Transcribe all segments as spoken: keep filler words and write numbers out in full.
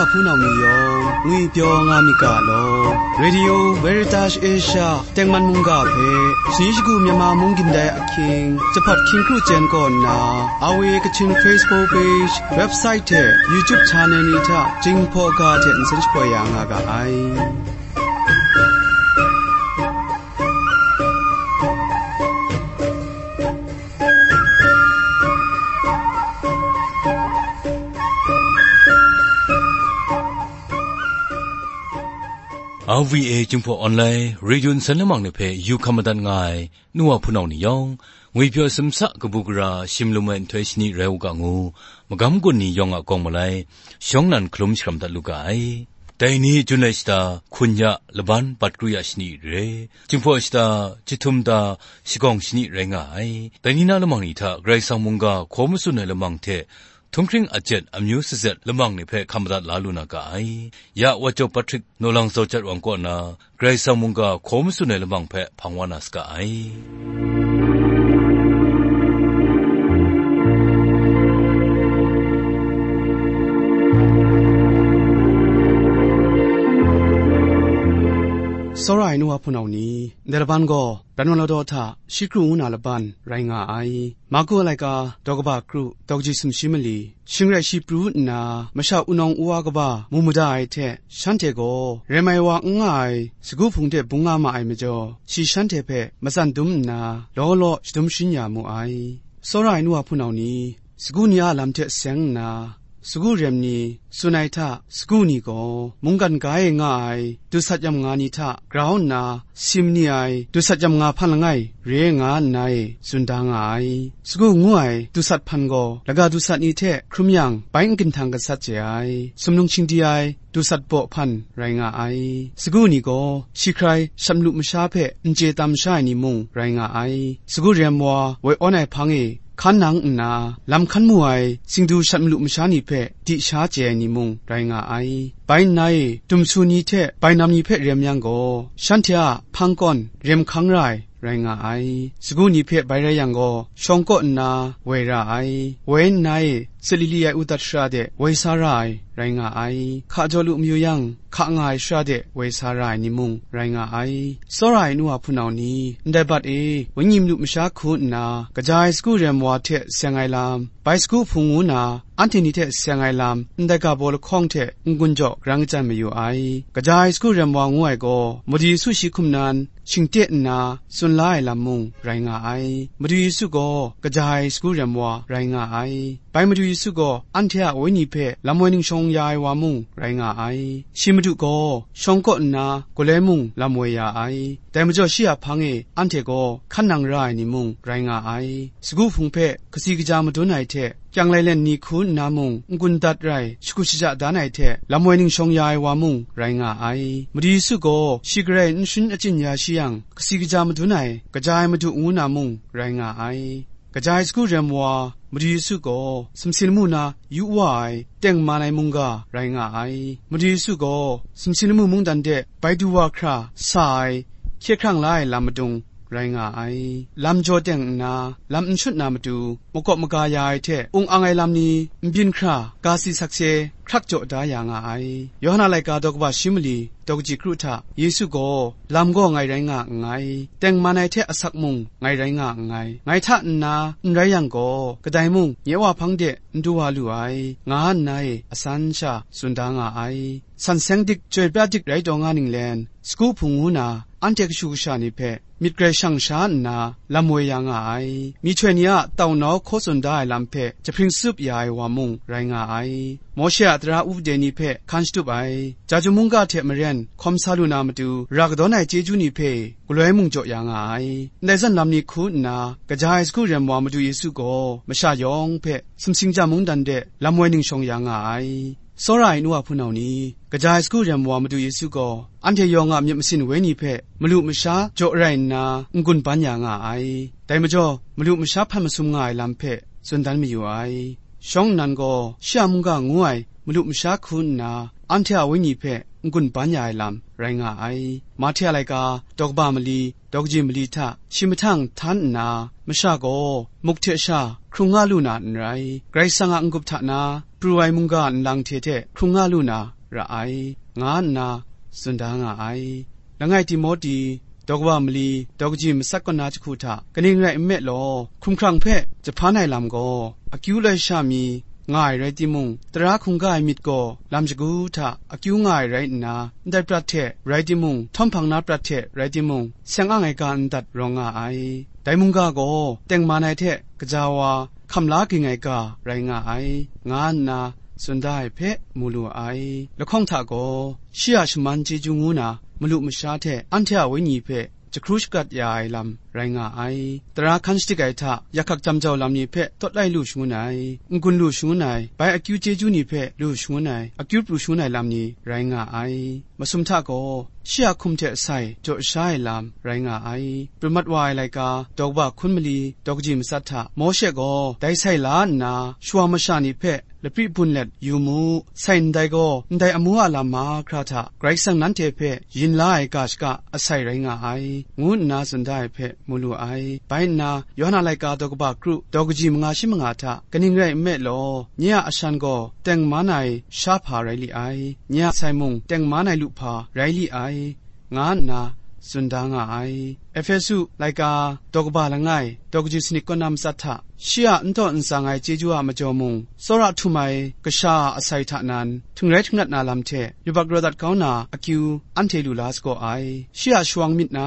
Hpunau ni yawng, ngwi pyaw nga myit ga law. Radio Veritas Asia tengman mungga hpe, shani shagu Myanmar mung gindai ahkying, Jahpat hkying kru jen kaw nna, R V A Kachin Facebook page, website hte YouTube channel ni hta, Jinghpaw ga hte nsen shapoi ya nga ga ai. R V A Jinghpaw Online Radio nsen lamang ni hpe yu hkam madat nga ai nu wa hpunau ni yawng, ngwi pyaw sumsa kabu gara shim lum ai nhtoi shani rai u ga ngu, magam gun ni yawng a kawng malai, shawng nnan hkalum sharam dat lu ga ai. Dai ni jun ai shata, hkun ya, laban bat kru ya shani re, Jinghpaw shata, jahtum da, shagawng shani rai nga ai. Dai ni na lamang ni hta Karai Kasang mungga hkaw matsun ai lamang hte, htunghkring ajet amyu sazet lamang ni hpe hkam madat la lu na ga ai. Ya Wacop Patrick Nawlang Zawjat Wang kaw na Karai Kasang mungga hkaw matsun ai lamang hpe hpang wa na saga ai. Tsawra ai nu wa hpunau ni, ndai laban gaw, Pran wa Ladaw hta shi kru ngu na laban rai nga ai. Marku a laika, daw kaba kru, daw kaji sumshi mali, shing rai shi pru nna, masha wunawng wa kaba mu mada ai hte, shanhte gaw rem ai wa n nga ai sagu hpung de bung nga ma ai majaw, shi shanhte hpe matsan dum nna, law law shadum sharin ya mu ai. Tsawra ai nu wa hpunau ni, sagu ni a lam hte seng nna, sagu rem ni tsun ai hta, sagu ni gaw mungkan ga e nga ai dusat yam nga ni hta grau nna, sim ni ai dusat yam nga hpan langai re nga nna e tsun da nga ai. Sagu ngu ai dusat hpan gaw laga dusat ni hte hkrum yang bai n ginhtang gasat chye ai, sumlung shingdi ai dusat baw hpan rai nga ai. Sagu ni gaw shi hkrai shat malu masha hpe n chye tam sha ai ni mung rai nga ai. Sagu rem wa woi awn ai hpang e hkan nang nna, lam hkan mu ai singdu shat malu masha ni hpe di sha chye ai ni mung rai nga ai. Bai nna e, dumsu ni hte bainam ni hpe rem yang gaw, shanhte a hpang kawn rem hkang ra ai rai nga ai. Sagu ni hpe bai rai yang gaw, shawng kaw nna woi ra ai. Woi nna e, sat lili ai udat shara de woi sa ra ai rai nga ai. Hka jaw lu mayu yang, hka nga ai shara de woi sa ra ai ni mung rai nga ai. Tsawra ai nu wa hpunau ni, ndai bat e, wenyi malu masha hku nna, kaja ai sagu rem wa hte seng ai lam, bai sagu hpung ngu na, anhte ni hte seng ai lam, ndai ga baw lahkawng hte n-gun jaw grang kachyan mayu ai. Kaja ai sagu rem wa ngu ai gaw, Madu Yesu shi hkum nan, shingte nna tsun la ai lam mung rai nga ai. Madu Yesu gaw kaja ai sagu rem wa rai nga ai. Bai Madu Yesu gaw anhte a wenyi hpe lam woi ningshawng ya ai wa mung rai nga ai. Shi Madu gaw shawng kaw nna galoi mung lam woi ya ai. Dai majaw shi a hpang e anhte gaw hkan nang ra ai ni mung rai nga ai. Sagu hpung hpe kasi kaja madun ai hte, kyang lailen ni hku nna mung n-gun dat rai, shakut shaja dan ai hte, lam woi ningshawng ya ai wa mung rai nga ai. Madu Yesu gaw shi garai n sharin achyin ya shi yang, kasi kaja madun ai, kaja ai Madu ngu na mung rai nga ai. Kaja ai sagu rem wa, Madu Yesu gaw sumsing lamu na yu wa ai, tengman ai mungga rai nga ai. Madu Yesu gaw sumsing lamu mungdan de bai du wa hkra sa ai, hkye hkrang la ai lam madung rai nga ai. Lam jaw teng nna, lam n shut na matu, makawp maga ya ai hte, ung ang ai lam ni n byin hkra, ga si sakse hkrak jaw da ya nga ai. Yawhan a laika daw kaba shi mali, daw kaji kru hta, Yesu gaw, lam gaw ngai rai nga nngai, tengman ai hte asak mung ngai rai nga nngai, ngai hta nna n rai yang gaw, kadai mung nye Wa hpang de n du wa lu ai, nga nna e asan sha tsun da nga ai. San seng dik, chyoi pra dik rai taw nga ninglen, sagu hpung ngu na, anhte kashu kasha ni hpe, myit grai shang sha nna, lam woi ya nga ai. Myihtoi ni a tau nau hkaw tsun da ai lam hpe, jahpring tsup ya ai wa mung rai nga ai. Mawshe a tara wupde ni hpe hkan shatup ai, Jahtum mungga hte maren hkawm sa lu na matu, ra kadawn ai chyeju ni hpe, galoi mung jaw ya nga ai. Ndai zawn lam ni hku nna, kaja ai sagu rem wa Madu Yesu gaw, masha yawng hpe, sumsing ja mungdan de lam woi ningshawng ya nga ai. Tsawra ai nu wa hpunau ni, kaja ai sagu rem wa Madu Yesu gaw, anhte yawng a myit masin wenyi hpe, malu masha jaw rai nna, n-gun ban ya nga ai. Dai majaw, malu masha hpan masum nga ai lam hpe, tsun dan mayu ai. Shawng nnan gaw, shi a mungga ngu ai, malu masha hku nna, anhte a wenyi hpe, n-gun ban ya ai lam rai nga ai. Mahte a laika, daw kaba mali, daw kaji mali hta shi mahtang htan nna, masha gaw muk hte sha hkrung nga lu na n rai, Karai Kasang a n-gup hta na pru ai mungga nlang hte hte hkrung nga lu na ra ai, nga nna tsun da nga ai. Langai Timote, daw kaba mali, daw kaji matsat kaw na jahku hta kaning rai nme law, hkumhkrang hpe jahpan ai lam gaw, akyu loi sha mi nga ai rai timung, tara hkungga ai myit gaw lam shagu hta akyu nga ai rai nna, ndai prat hte rai timung, htawm hpang na prat hte rai timung, seng ang ai ga n dat rawng nga ai. Dai mungga gaw tengman ai hte kaja wa, hkam la ging ai ga rai nga ai, nga nna tsun da ai hpe mu lu ai. Lahkawng hta gaw, shi a shaman chyeju ngu na malu masha hte anhte a wenyi hpe jahkru shagat ya ai lam rai nga ai. Tara hkan shadik ai hta, yakhak jam jau lam ni hpe tawt lai lu shangun ai, n-gun lu shangun ai, bai akyu chyeju ni hpe lu shangun ai, akyu pru shangun ai lam ni rai nga ai. Masum hta gaw, shi a hkum hte sai jaw sha ai lam rai nga ai. Pru mat wa ai laika, daw kaba hkun mali, daw kaji matsat hta, Mawshe gaw dai sai la nna, shawa masha ni hpe lapri bun let yu mu, sai ndai gaw, ndai amu a lam mahkra hta Karai Kasang nanhte hpe yin la ai ga shaka asai rai nga ai, ngu nna tsun da ai hpe mu lu ai. Bai nna, Yawhan a laika daw kaba kru, daw kaji manga shi manga hta, kaning rai nme law, nye a ashan gaw tengman ai sha hpa rai li ai, nye a sai mung tengman ai lu hpa rai li ai, nga nna tsun da nga ai. Ehpesu laika daw kaba langai, daw kaji sanit kaw na matsat hta, shi a n taw n tsang ai chyeju a majaw mung, tsawra htum ai kasha a asai hta nan, htingrai htingrat na lam hte yubak raw dat kau na akyu anhte lu la sagaw ai. Shi a shawang myit na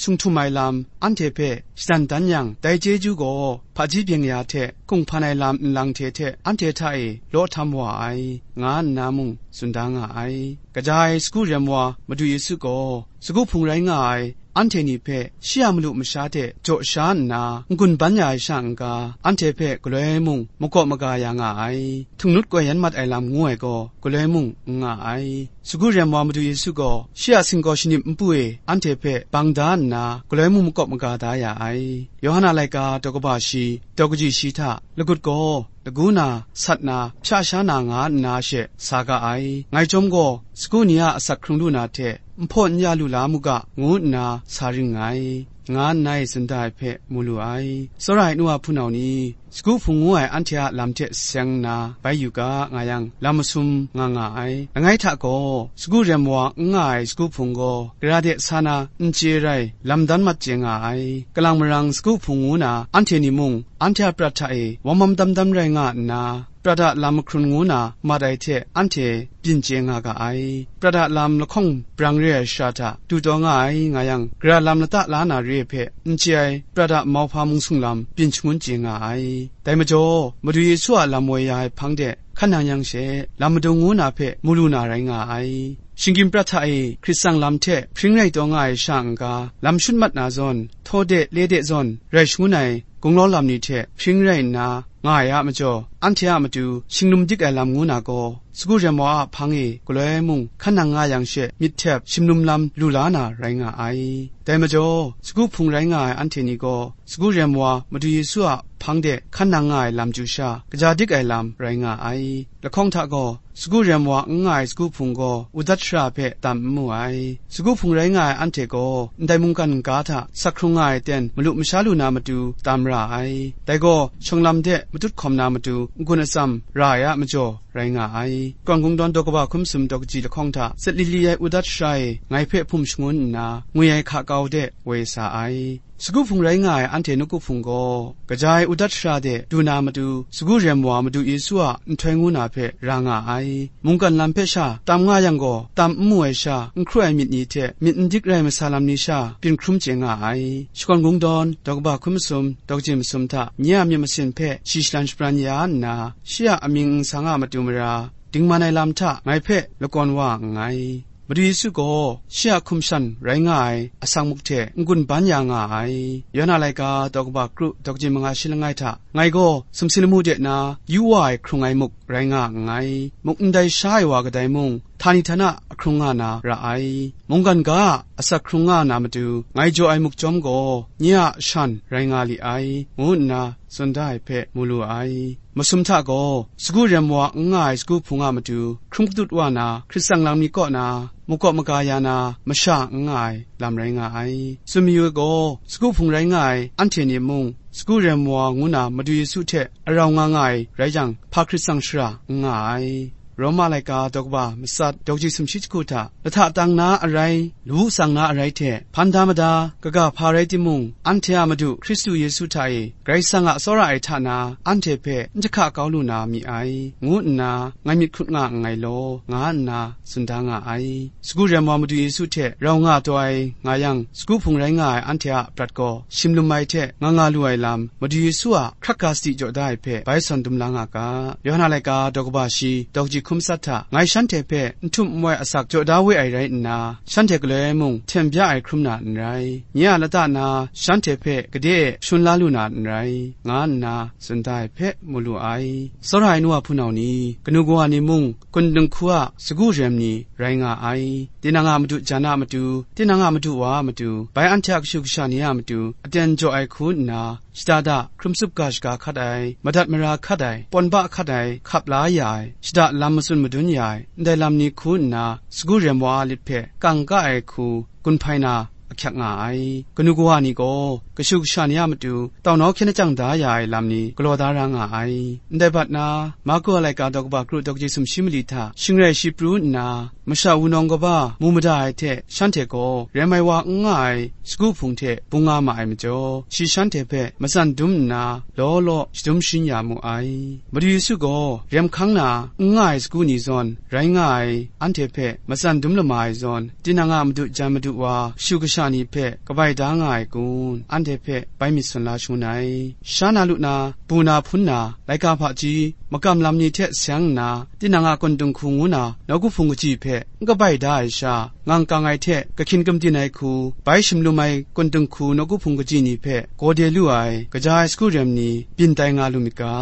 sung htum ai lam anhte hpe shadan dan yang, dai chyeju gaw hpaji byeng ya hte kunghpan ai lam nlang hte hte anhte hta e law htam wa ai, nga nna mung tsun da nga ai. Kaja ai sagu rem wa Madu Yesu gaw, sagu hpung rai nga ai anhte ni hpe shi a malu masha hte jaw sha nna n-gun ban ya ai sha n-ga, anhte hpe galoi mung makawp maga ya nga ai, htungnut koi yan mat ai lam ngu ai gaw, galoi mung n nga ai. Sagu rem wa Madu Yesu gaw, shi a singkaw shanip npu e anhte hpe bang da nna, galoi mung makawp maga da ya ai. Yawhan a laika daw kaba shi, daw kaji shi hta, lagut gaw lagu na, sat na, hpya sha na nga nna she sa ga ai. Ngai chyawm gaw, sagu ni a asak hkrung lu na hte, nhpaw n ya lu la mu ga, ngu nna sa ring nngai, nga nna e tsun da ai hpe mu lu ai. Tsawra ai nu a hpunau ni, sagu hpung ngu ai anhte a lam hte seng nna bai yu ga, nga yang, lam masum nga nga ai. Langai hta gaw, sagu rem wa n nga ai sagu hpung gaw, gara de sa na n chye rai, lam dan mat chye nga ai. Kalang marang sagu hpung ngu na anhte ni mung, anhte a prat hta e wam wam dam dam rai nga nna, prat a lam mahkrun ngu na mat ai hte anhte byin chye nga ga ai. Prat a lam lahkawng brang re ai shara hta du taw nga ai, nga yang, gara lam lata la na re ai hpe n chye ai, prat a mauhpa mung sung lam byin shangun chye nga ai. Dai majaw, Madu Yesu a lam woi ya ai hpang de hkan nang yang she, lam madung ngu na hpe mu lu na rai nga ai. Shinggyim prat hta e Hkrit tsang lam hte hpring rai taw nga ai sha n-ga, lam shut mat na zawn, htaw de le de zawn rai shangun ai gunglau lam ni hte hpring rai nna nga ai a majaw, anhte a matu shinglum dik ai lam ngu na gaw, sagu rem wa a hpang e galoi mung hkan nang nga yang she, myit htep shinglum lam lu la na rai nga ai. Dai majaw, sagu hpung rai nga ai anhte ni gaw, sagu rem wa Madu Yesu a hpang de hkan nang nga ai lam chyu sha, kaja dik ai lam rai nga ai. Lahkawng hta gaw, sagu rem wa n nga ai sagu hpung gaw, udat shara hpe tam n mu ai. Sagu hpung rai nga ai anhte gaw, ndai mungkan n-ga hta sak hkrung nga ai ten malu masha lu na matu tam ra ai. Dai gaw, shawng lam de matut hkawm na matu n-gun atsam ra ai a majaw rai nga ai. Kawn Kungdawn daw kaba hkum sum daw kaji lahkawng hta zatlit li ai udat shara e ngai hpe hpum shangun nna, ngwi ai hka kau de woi sa ai. Sagu hpung rai nga ai anhte nawku hpung gaw, kaja ai udat shara de du na matu, sagu rem wa Madu Yesu a nhtoi ngu na hpe ra nga ai. Mungkan lam hpe sha tam nga yang gaw, tam n mu ai sha, n hkru ai myit ni hte myit n dik rai masa lam ni sha byin hkrum chye nga ai. Shakawn Kungdawn daw kaba hkum masum, daw kaji masum hta nye a myit masin hpe shi shalan shabran ya nna, shi a amying nsang a matu mara, dingman ai lam hta ngai hpe lakawn wa nngai. Madu Yesu gaw shi a hkum shan rai nga ai asak muk hte n-gun ban ya nga ai. Yawhan a laika daw kaba kru daw kaji manga shi langai hta, ngai gaw sumsing lamu de na yu wa ai hkrung ai muk rai nga nngai. Muk ndai sha ai wa kadai mung, htani htana ahkrung nga na ra ai. Mungkan ga a asak hkrung nga na matu, ngai jaw ai muk chyawm gaw, nye a shan rai nga li ai, ngu nna tsun da ai hpe mu lu ai. Masum hta gaw, sagu rem wa n nga ai sagu hpung a matu, hkrum kadut wa na, hkrit tsang lam ni kaw na, makawp maga ya na, masha n nga ai lam rai nga ai. Tsun mayu ai gaw, sagu hpung rai nga ai anhte ni mung, sagu rem wa ngu na Madu Yesu hte arau nga nga ai rai jang, hpa hkrit tsang shara n nga ai. Roma laika daw kaba matsat, daw kaji sumshi jahku hta, lahta tang na arai, lawu tsang na arai hte, hpan da mada, kaga hpa rai timung, anhte a Madu Hkristu Yesu hta e, Karai Kasang a tsawra ai hta na, anhte hpe n jahka kau lu na mi ai, ngu nna, ngai myit hkut nga nngai law, nga nna tsun da nga ai. Sagu rem wa Madu Yesu hte rau nga taw ai nga yang, sagu hpung rai nga ai anhte a prat gaw, shim lum ai hte nga nga lu ai lam, Madu Yesu a hkrat ga sadi jaw da ai hpe bai sawn dum la nga ga. Yawhan a laika daw kaba shi, daw kaji hkum tsat hta, ngai shanhte hpe n htum n wai asak jaw da we ai rai nna, shanhte galoi mung hten bya ai hkrum na n rai, nye a lata na shanhte hpe gade e shun la lu na n rai, nga nna tsun da ai hpe mu lu ai. Tsawra ai nu wa hpunau ni, kanu kawa ni mung, kun dinghku a sagu rem ni rai nga ai. Tinang a madu jan a matu, tinang a madu wa a matu, bai anhte a kashu kasha ni a matu, aten jaw ai hku nna, shada da, hkrum tsup ga shaga hkat ai, madat mara hkat ai, pawn ba hkat ai, hkap la ya ai, shada lam matsun madun ya ai, ndai lam ni hku nna, sagu rem wa a lit hpe kang ka ai hku, gun hpai na ahkyak nga ai. Kanu kawa ni gaw, kashu kasha ni a matu, tau nau hkyen lachyang da ya ai lam ni galaw da ra nga ai. Ndai bat na, Marku a laika daw kaba kru daw kaji sumshi mali hta, shingrai shi pru nna, masha wunawng kaba mu mada ai hte, shanhte gaw rem ai wa n nga ai sagu hpung hte bung nga ma ai majaw, shi shanhte hpe matsan dum nna, law law shadum sharin ya mu ai. Madu Yesu gaw rem hkang na n nga ai sagu ni zawn rai nga ai, anhte hpe matsan dum lama ai zawn, tinang a madu jan madu wa, kashu kasha ni hpe kabai da nga ai kun, anhte hpe bai myit sawn la shangun ai. Sha na lu na, bu na hpun na, laika hpaji, makam lam ni hte sayang nna, tinang a kun dinghku ngu na, nawku hpung kaji hpe n kabai da ai sha, ngang kang ai hte kahkyin kamdin ai hku, bai shim lum ai kun dinghku nawku hpung kaji ni hpe gaw de lu ai, kaja ai sagu rem ni byin tai nga lu myit ga,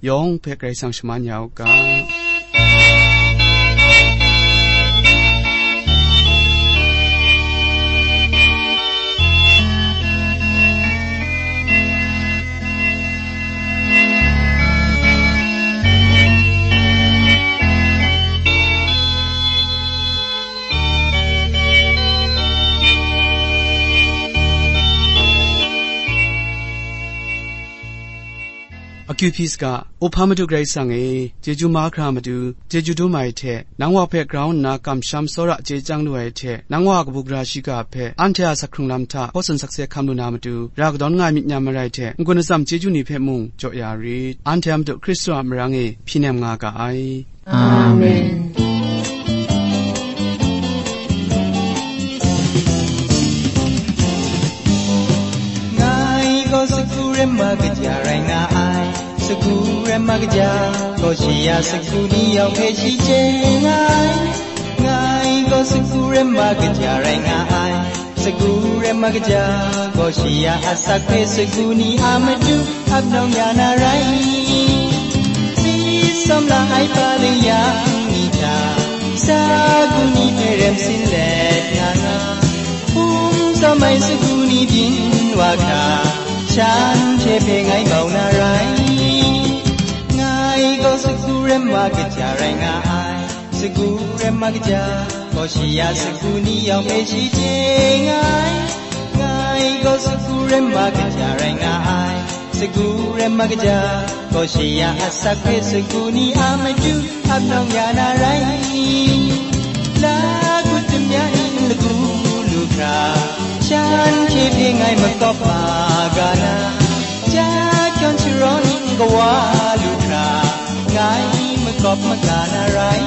yawng hpe Karai Kasang shaman ya u ga. Akyu hpyi saga, Upham Madu Karai Kasang e, chyeju mahkra matu, chyeju dum ai hte, nang wa hpe grau nna kamsham tsawra chye chyang lu ai hte, nang wa a kabu gara shiga hpe, anhte a asak hkrung lam hta hkaw tsun sakse hkam lu na matu, ra kadawn nga ai myit nyam marai hte, n-gun atsam chyeju ni hpe mung jaw ya rit. Anhte a Madu Hkristu a marang e hpyi nem nga ga ai. Amen. Ngai gaw sagu rem ma kaja rai nga ai, sagu rem ma kaja gaw shi a sagu ni yawng hpe shi chye nga ai. Ngai gaw sagu rem ma kaja rai nga ai, sagu rem ma kaja gaw shi a asak hpe sagu ni a matu ap nawng ya na rai. Tsi tsawm la ai pa leng yang ni hta, sagu ni hpe rem sin let nga nga, hpung tsawm ai sagu ni byin wa hkra, shanhte hpe ngai bau na rai. Ngai gaw sagu rem ma kaja rai nga ai, sagu rem ma kaja gaw shi a sagu ni yawng hpe shi chye nga ai. Ngai gaw sagu rem ma kaja rai nga ai, sagu rem ma kaja gaw shi a asak hpe sagu ni a matu ap nawng ya na rai. La kut tum ya ning lagu lu hkra, shanhte hpe ngai makawp ma ga na, ja hkyawn sharaw ning kawa lu hkra, ngai makawp maga na rai.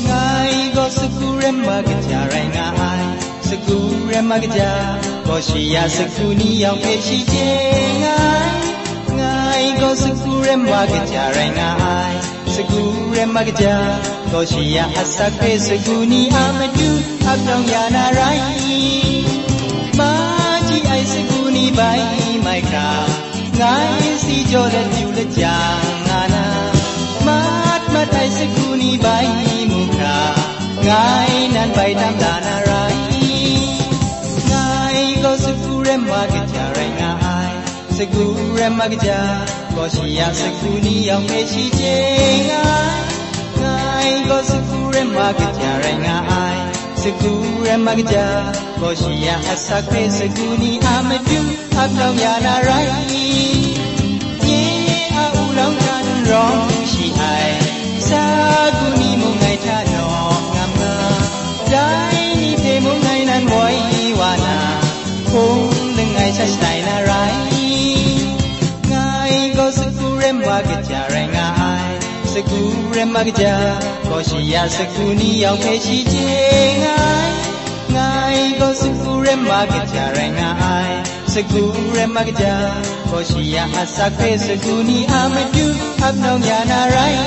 Ngai gaw sagu rem ma kaja rai nga ai, sagu rem ma kaja gaw shi a sagu ni yawng hpe shi chye nga ai. Ngai gaw sagu rem ma kaja rai nga ai, sagu rem ma kaja gaw shi a asak hpe sagu ni a matu ap nawng ya na rai. Maji ai sagu ni bai ma Ai hkra, ngai si jaw let yu let jang nga na, mat mat ai sagu ni bai mu hkra, ngai nan bai tam la na rai. Ngai gaw sagu rem wa kaja rai nga ai, sagu rem wa kaja, gaw shi a sagu ni yawng hpe shi chye nga ai. Ngai gaw sagu rem wa kaja rai nga ai, sagu rem wa kaja, gaw shi a asak hpe sagu ni a matu ap nau ya na rai. Nye a u lam hkan rawng shi ai, sagu ni mung ngai hta nawk ngam nga, dai ni hpe mung ngai nan woi wa na, hpung langai sha shanai na rai. Ngai gaw sagu rem wa kaja rai nga ai, sagu rem wa kaja, gaw shi a sagu ni yawng hpe shi chye nga ai. Ngai gaw sagu rem wa kaja rai nga ai, sagu rem wa kaja, gaw shi a asak hpe sagu ni a matu ap nau ya na rai.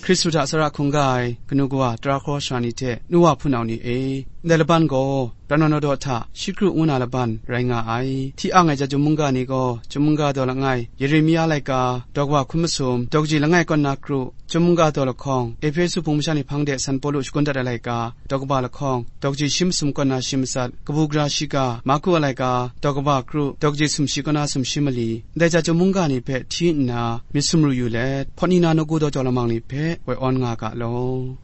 Hkristu hta tsara hkungga ai kanu kawa, tara hkraw sara ni hte nu wa hpunau ni e, ndai laban gaw Rano Nawdaw hta shi kru ngu na laban rai nga ai. Hti ang ai ja Chyum mungga ni gaw, Chyum mungga daw langai, Yeremia laika, daw kaba hkun masum, daw kaji langai kaw nna kru, Chyum mungga daw lahkawng, Ehpesu hpung masha ni hpang de San Pawlu shagun dat ai laika, daw kaba lahkawng, daw kaji shi masum kaw nna shi matsat, kabu gara shiga, Marku a laika, daw kaba kru, daw kaji sumshi kaw nna sumshi mali, ndai ja Chyum mungga ni hpe hti nna myit sumru yu let, hpawt ni na nawku daw jau lamang ni hpe woi awn nga ga law.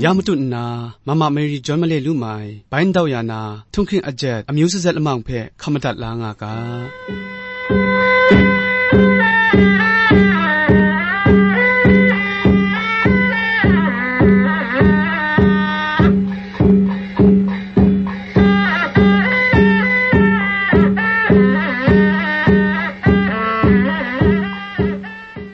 Ya matut nna, Mama Mary John Male Lumai, bai ndau ya na, htunghking ajet, amyu sazet lamang hpe hkam madat la nga ga.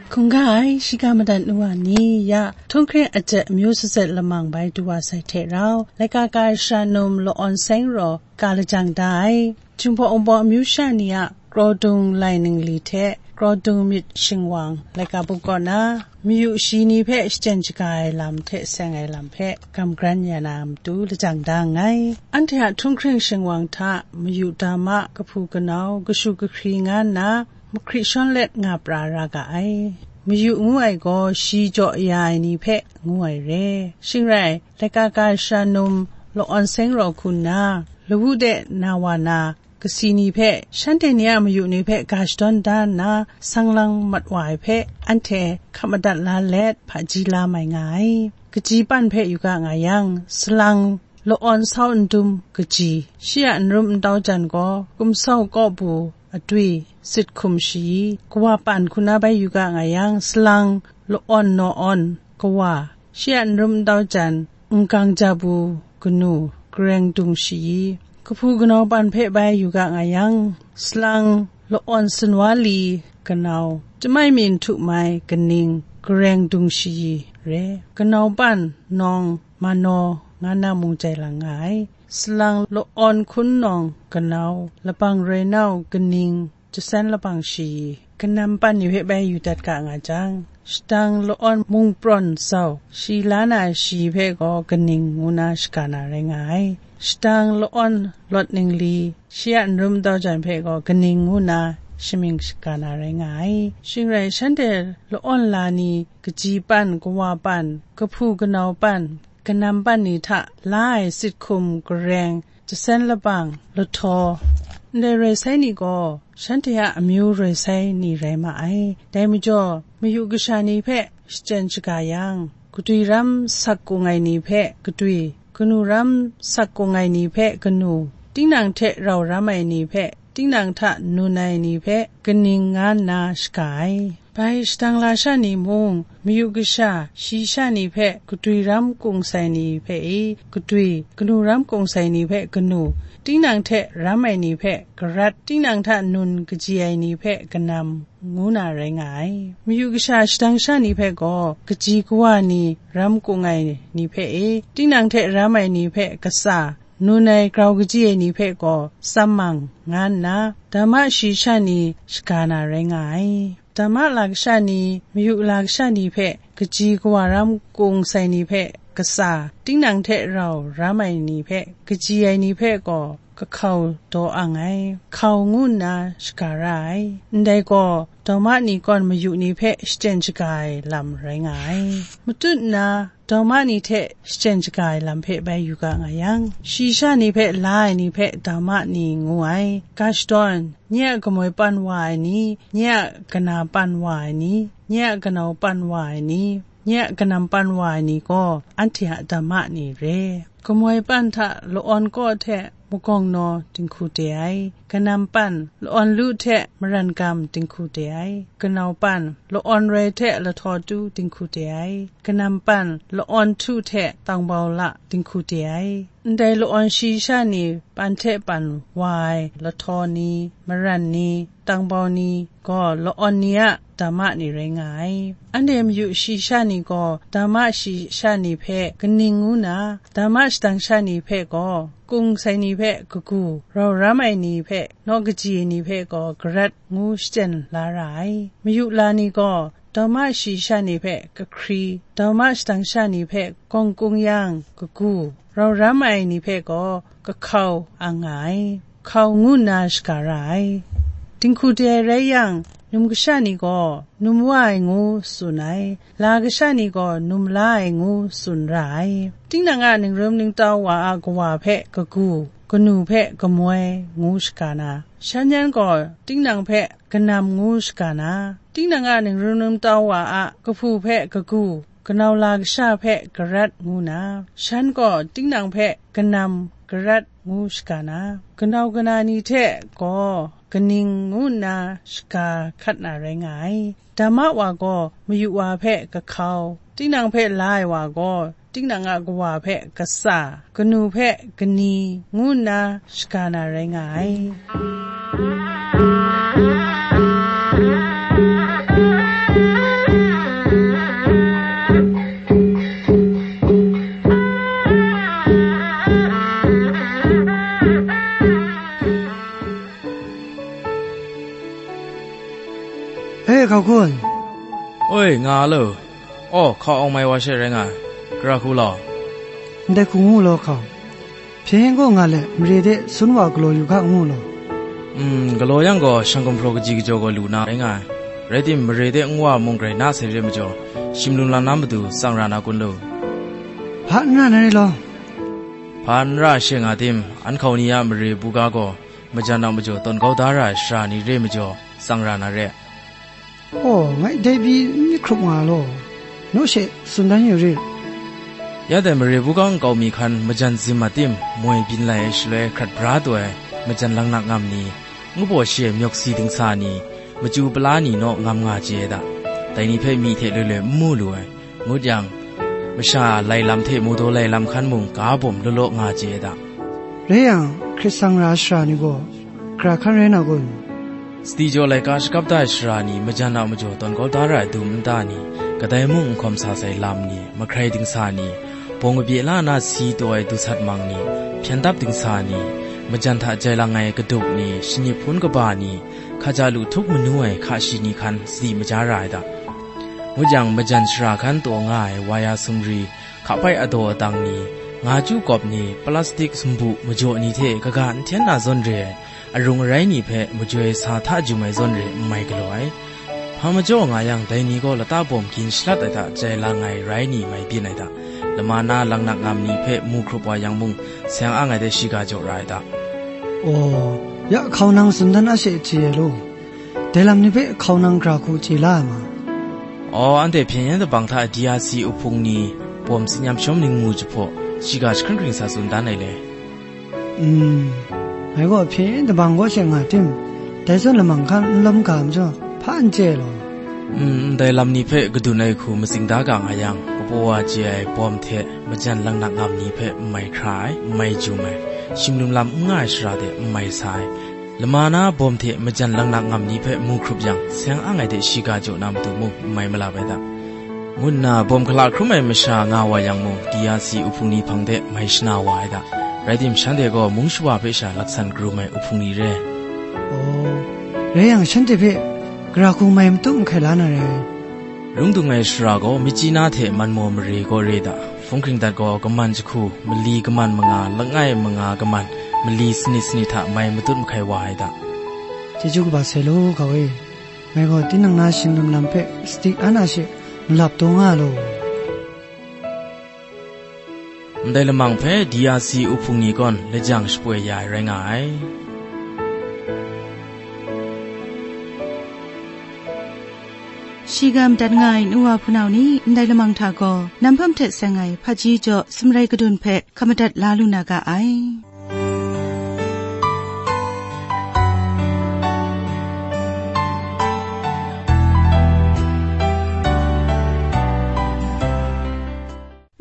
Hkungga ai, shiga madat nu wa ni, ya, htunghking ajet amyu sazet lamang bai du wa sai hte rau, laika ga sha num Law-awn Seng raw ka lajang da ai. Jinghpaw Wunpawng amyu sha ni a kraw dung lai ningli hte kraw dung myit shingwang laika buk kaw na, mayu shi ni hpe shachyen shaga ai lam hte seng ai lam hpe gam gran ya na matu lajang da nngai. Anhte a htunghking shingwang hta mayu dama, kahpu kanau, kashu kahkri nga nna, mahkri shawn let nga pra ra ga ai. Mayu ngu ai gaw shi jaw ya ai ni hpe ngu ai re. Shing rai, laika ga sha num Law-awn Seng raw hku nna, lawu de na wa na, kasi ni hpe, shanhte ni a mayu ni hpe ga shadawn da nna, sang lang mat wa ai hpe, anhte hkap madat la let, hpaji la mai nga ai. Kaji pan hpe yu ga nga yang, salang Law-awn Sau Ndum kaji, shi a n rum n tau jan gaw, Kumsau Kawbu Atwi, Sit Hkum Shayi, Kawa Pan hku na bai yu ga nga yang, salang Law-awn Naw-awn Kawa, shi a n rum n tau jan, N Gang Jabu Kanu, Gareng Dung Shayi, kahpu kanau pan hpe bai yu ga nga yang, salang Law-awn Sunwa Li Kanau, Chyamai Myin Htu Mai Kaning, Gareng Dung Shayi re, kanau pan Nawng Manaw nga na mung jai lang nga ai. Salang Law-awn Hkun Nawng Kanau, Labang Roi Nau Kaning, Jasen Labang Shayi, kanam pan ni hpe bai yu dat ga nga jang, shadang Law-awn Mung Prawn Zau, shi la na shi hpe gaw Kaning ngu na shaga na rai nga ai. Shadang Law-awn Lawt Ningli, shi a n rum n tau jan hpe gaw Kaning ngu na shamying shaga na rai nga ai. Shing rai, shanhte Law-awn la ni, kaji pan, kawa pan, kahpu kanau pan, kanam pan ni hta la ai sit hkum, gareng, jasen labang, lahtaw, ndai roi sai ni gaw, shanhte a amyu roi sai ni rai ma ai. Dai majaw, mayu kasha ni hpe shachyen shaga yang, gadwi ram sak kung ai ni hpe gadwi, kanu ram sak kung ai ni hpe kanu, tinang hte rau ram ai ni hpe, tinang hta nun ai ni hpe kaning nga nna shaga ai. Bai shadang lasha ni mung, mayu kasha shi sha ni hpe gadwi ram kung sai ni hpe i gadwi, kanu ram kung sai ni hpe kanu, tinang hte ram ai ni hpe garat, tinang hta nun kaji ai ni hpe kanam, ngu na rai nga ai. Mayu kasha shadang sha ni hpe gaw, kaji kawa ni ram kung ai ni hpe e, tinang hte ram ai ni hpe katsa, nun ai grau kaji ai ni hpe gaw tsam mang, nga nna, dama shayi sha ni shaga na rai nga ai. Dama la kasha ni, mayu la kasha ni hpe kaji kawa ram kung sai ni hpe katsa, tinang hte rau ram ai ni hpe kaji ai ni hpe gaw kahkau daw ang ai, hkau ngu nna shaga ra ai. Ndai gaw, dawma ni kawn mayu ni hpe shachyen shaga ai lam rai nga ai. Matut nna, dawma ni hte shachyen shaga ai lam hpe bai yu ga nga yang, shayi sha ni hpe la ai ni hpe dawma ni ngu ai. Ga shadawn, nye a kamoi pan wa ai ni, nye a kana pan wa ai ni, nye a kanau pan wa ai ni, nye a kanam pan wa ai ni gaw, anhte a dawma ni re. Kamoi pan hta la-awn kaw hte magawng naw dinghku de ai, kanam pan la-awn lu hte maran gam dinghku de ai, kanau pan la-awn roi hte lahtaw tu dinghku de ai, kanam pan la-awn htu hte tangbau la dinghku de ai. Ndai la-awn shayi sha ni pan hte pan wa ai lahtaw ni, maran ni, tangbau ni gaw la-awn ni a dawma ni rai nga ai. Anhte mayu shayi sha ni gaw dawma shayi sha ni hpe kaning ngu na, dawma shadang sha ni hpe gaw kung sai ni hpe kagu, rau ram ai ni hpe naw kaji ai ni hpe gaw garat ngu shachyen la ra ai. Mayu la ni gaw dawma shayi sha ni hpe kahkri, dawma shadang sha ni hpe gawng kung yang kagu, rau ram ai ni hpe gaw kahkau ang nga ai, hkau ngu nna shaga ra ai. Dinghku de ai rai yang, num kasha ni gaw num wa ai ngu tsun ai, la kasha ni gaw num la ai ngu tsun ra ai. Tinang a ningrum ningtau wa a kawa hpe kagu, kanu hpe kamoi ngu shaga na, shan yan gaw tinang hpe kanam ngu shaga na, tinang a ningrum ningtau wa a kahpu hpe kagu, kanau la kasha hpe garat ngu na, shan gaw tinang hpe kanam garat ngu shaga na, kanau kana ni hte gaw kaning ngu nna shaga hkat na rai nga ai. Dawma wa gaw mayu wa hpe kahkau, tinang hpe la ai wa gaw tinang a kawa hpe katsa, kanu hpe kani ngu nna shaga na rai nga ai. E, hkau kun. Oi, nga lo. Aw, hkau awng mai wa she rai nga ai. Gara hku law. Ndai hku ngu law hkau. Hpyen gaw nga let, mare de sun wa galaw yu ga ngu law. Mm, galaw yang gaw, shang gumhpraw kaji kajaw gaw lu na rai nga ai. Rai tim, mare de nwa mung grai na sai re majaw, shim lum lam na matu tsang ra na kun lu. Hpa n ra na re law. Hpa n ra she nga tim, an hkau ni a mare buga gaw, majan a majaw tawn kau da ra ai sara ni re majaw, tsang ra na re. Aw, ngai dai pyi n myit hkrup nga law, naw she tsun dan yu rit. Ya dai mare buga nkau mi hkan majan zim a tim moi byin lai ai shaloi hkrat bra taw ai majan laknak ngam ni, ngu baw shi ai myawk si dingsa ni, machyu pala ni naw ngam nga chye ai da, dai ni hpe myi hte loi loi n mu lu ai, ngut yang, masha lai lam hte mawdaw lai lam hkan mung ga bawm law law nga chye ai da. Rai yang, hkrit tsang ra ai sara ni gaw, gara hkan rai na kun? Sadi jaw laika shakap da ai sara ni, majan a majaw tawn kau da ra ai dum nta ni, kadai mung n hkawm sa sai lam ni, mahkrai dingsa ni, bawng kabye la na si taw ai dusat mang ni, hpyen dap dingsa ni, majan hta jai lang ai kaduk ni, shanip hpun kaba ni, hkaja lu htup manu ai hka shi ni hkan sadi maja ra ai da. Ngut yang, majan sara hkan taw nga ai waya sumri, hkapai adaw adang ni, nga chyu kawp ni, plastik sumbu majaw ni hte kaga n hten na zawn re ai, arung arai ni hpe majoi sa hta jum ai zawn re n mai galaw ai. Hpa majaw nga yang, dai ni gaw lata bawm gin shalat ai hta jai lang ai rai ni mai byin ai hta, lama na laknak ngam ni hpe mu hkrup wa yang mung, seng ang ai de shiga jaw ra ai hta. Aw, ya hkau nang tsun dan a she chye ai law. Dai lam ni hpe hkau nang gara hku chye la ai ma? Aw, anhte hpyen yen dabang hta D R C uhpung ni bawm tsin yam shawm ningmu jahpaw, shiga jahkring hkring sa tsun dan ai le. Mm, ngai gaw hpyen yen dabang kaw she nga tim, dai zawn lamang hkan n lawm ga majaw, hpa n chye ai law. Mm, ndai lam ni hpe kadun ai hku matsing da ga nga yang, kapaw wa chye ai bawm hte majan laknak ngam ni hpe n mai hkra ai, n mai jum ai, shim lum lam n nga ai sara de n mai sa ai, lama na bawm hte majan laknak ngam ni hpe mu hkrup yang, seng ang ai de shiga jaw na matu mung n mai malap ai da, ngu nna bawm hkala hkrum ai masha nga wa yang mung, D R C uhpung ni hpang de mai shana wa ai da. Rai tim, shanhte gaw mung shawa hpe sha laksan karum ai uhpung ni re. Aw, rai yang, shanhte hpe gara hku mai matut mahkai la na re. Rung dung ai shara gaw, Myitkyina hte Manmaw mare gaw re da, hpung hkring dat gaw, kaman jahku, mali kaman manga, langai manga kaman, mali sanit sanit hta mai matut mahkai wa ai da. Chyeju kaba sai law, ga e. Ngai gaw tinang na shinglum lam hpe sadi an a she malap taw nga law. Ndai lamang hpe D R C uhpung ni gaw lajang shapoi ya ai rai nga ai. Shiga madat nga ai nu wa hpunau ni, ndai lamang hta gaw, nam hpam hte seng ai hpaji jaw sumrai kadun hpe hkap madat la lu na ga ai.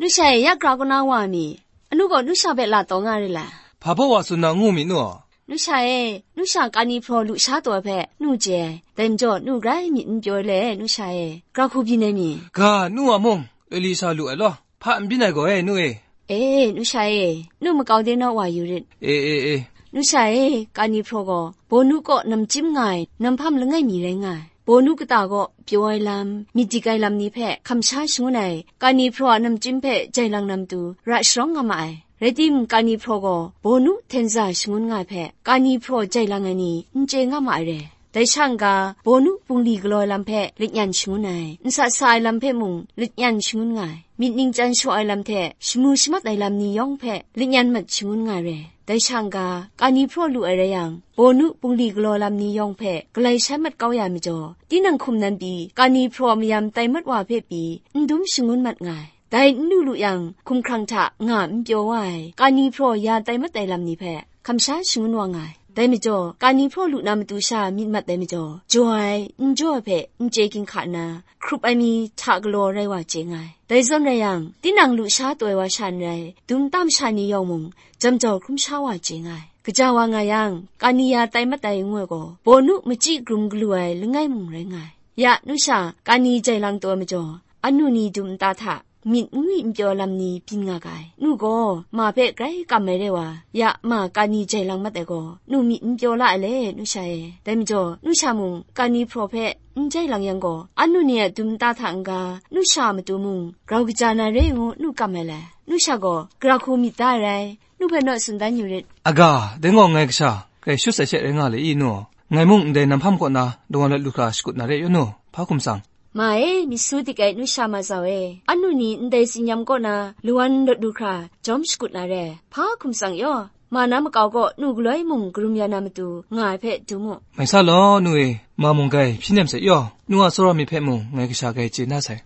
Nu sha e, ya gra kaw na wa mi? Anu gaw nu sha hpe la taw nga re la? Hpa baw wa tsun na ngu mi nu? Nu sha e, nu sha kani hpraw lu sha taw ai hpe nu chye ai. Dai majaw, nu grai myit n pyaw ai le, nu sha e, gra hku byin ai mi? Ga, nu a mung, Elisha lu ai law, hpa n byin ai gaw e, nu e. E, nu sha e, nu makau de naw wa yu rit. E, e, e. Nu sha e, kani hpraw gaw, bawnu kaw namchyim nga ai, nam hpam langai mi rai nga ai. Bawnu kata kaw pyaw ai lam, myit dik ai lam ni hpe hkam sha shangun ai, kani hpraw a namchyim hpe jai lang na matu ra sharawng nga ma ai. Rai timung, kani hpraw gaw bawnu hten za shangun nga ai hpe, kani hpraw jai lang ai ni n chye nga ma ai re. Dai sha n-ga, bawnu bungli galaw ai lam hpe lanyan shangun ai, nsa sa ai lam hpe mung lanyan shangun nga ai, myit ningchyan shaw ai lam hte shamu shamat ai lam ni yawng hpe lanyan mat shangun nga ai re. Dai sha n-ga, kani hpraw lu ai rai yang, bawnu bungli galaw lam ni yawng hpe galai shai mat kau ya ai majaw, tinang hkum nan pyi, kani hpraw mayam tai mat wa hpe pyi, n dum shangun mat nga ai. Dai n lu lu yang, hkumhkrang hta nga n pyaw wa ai, kani hpraw ya tai mat ai lam ni hpe hkam sha shangun wa nga ai. Dai majaw, kani hpraw lu na matu sha myit mat ai majaw, jaw ai, n jaw ai hpe n chye ginhka nna, hkrup ai mi hta galaw rai wa chye nga ai. Dai zawn rai yang, tinang lu sha taw ai wa sha n rai, dum nta masha ni yawng mung, jam jau hkrum sha wa chye nga ai. Kaja wa nga yang, kani ya tai mat ai ngu ai gaw, bawnu machyi grum galu ai langai mung rai nga ai. Ya, nu sha, kani jai lang taw ai majaw, anu ni dum nta hta myit n ngwi n pyaw lam ni byin nga ga ai. Nu gaw, ma hpe grai kam ai re wa, ya, ma kani jai lang mat ai gaw, nu myit n pyaw la ai le, nu sha e. Dai majaw, nu sha mung, kani hpraw hpe n jai lang yang gaw, anu ni a dum nta hta n-ga, nu sha a matu mung, grau kaja na re ngu nu kam ai le. Nu sha gaw, gara hku myit da ai rai, nu hpe naw tsun dan yu rit. Aga, dai gaw ngai kasha, grai shut sai she rai nga le i, nu? Ngai mung ndai nam hpam kaw na, dawan lawt lu hkra shakut na re yaw nu, hpa hkum tsang? Ma e, myit su dik ai nu sha ma zau e, anu ni ndai tsinyam kaw na lawan lawt lu hkra jawm shakut na re, hpa hkum tsang yaw? Ma na makau kaw nu galoi mung karum ya na matu nga ai hpe dum u. Mai sa law, nu e, ma mung grai hpyi nem sai yaw, nu a tsawra myit hpe mung ngai kasha grai chye na sai.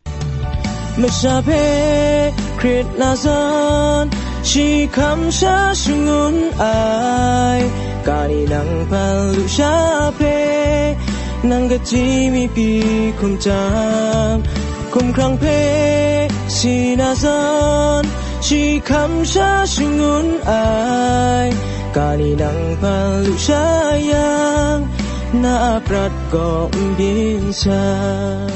Masha hpe hkrit na zawn, shi hkam sha shangun ai, kani nang hpan lu sha hpe, nang kaji mi pyi hkum jang, hkumhkrang hpe si na zawn, shi hkam sha shangun ai, kani nang hpan lu sha yang, na a prat kaw n byin sai.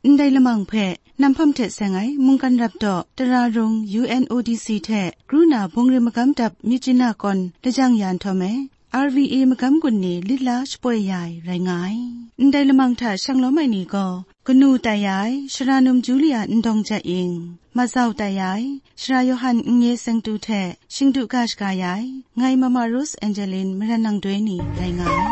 Ndai lamang hpe nam hpam hte seng ai mungkan rap daw, Tara Rung U N O D C hte Gruna Bungri Magam Dap Myitkyina kawn lajang ya nhtawm e, R V A magam gun ni lit la shapoi ya ai rai nga ai. Ndai lamang hta shanglawm ai ni gaw, kanu tai ya ai Sara Num Julia Ndawng Jat Ying, mazau tai ya ai Sara Yawhan Nnye Sengtu hte shingdu ga shaga ya ai, ngai Mama Rose Angeline Maran Nang Doi ni rai nga ai.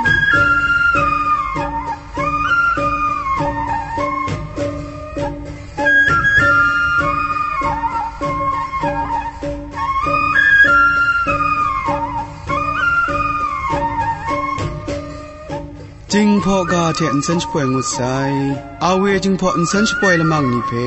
Jinghpaw ga hte nsen shapoi ngut sai. A W Jinghpaw nsen shapoi lamang ni hpe,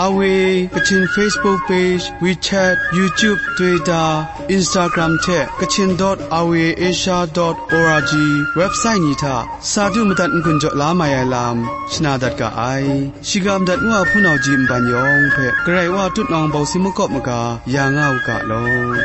A W Kachin Facebook page, WeChat, YouTube, Twitter, Instagram hte Kachin dot R V A Asia dot O R G website ni hta sa du madat n-gun jaw la mai ai lam shana dat ga ai. Shiga madat ngu a hpunau ji nban yawng hpe Karai Wa tutnawng bawsi makawp maga ya nga u ga law.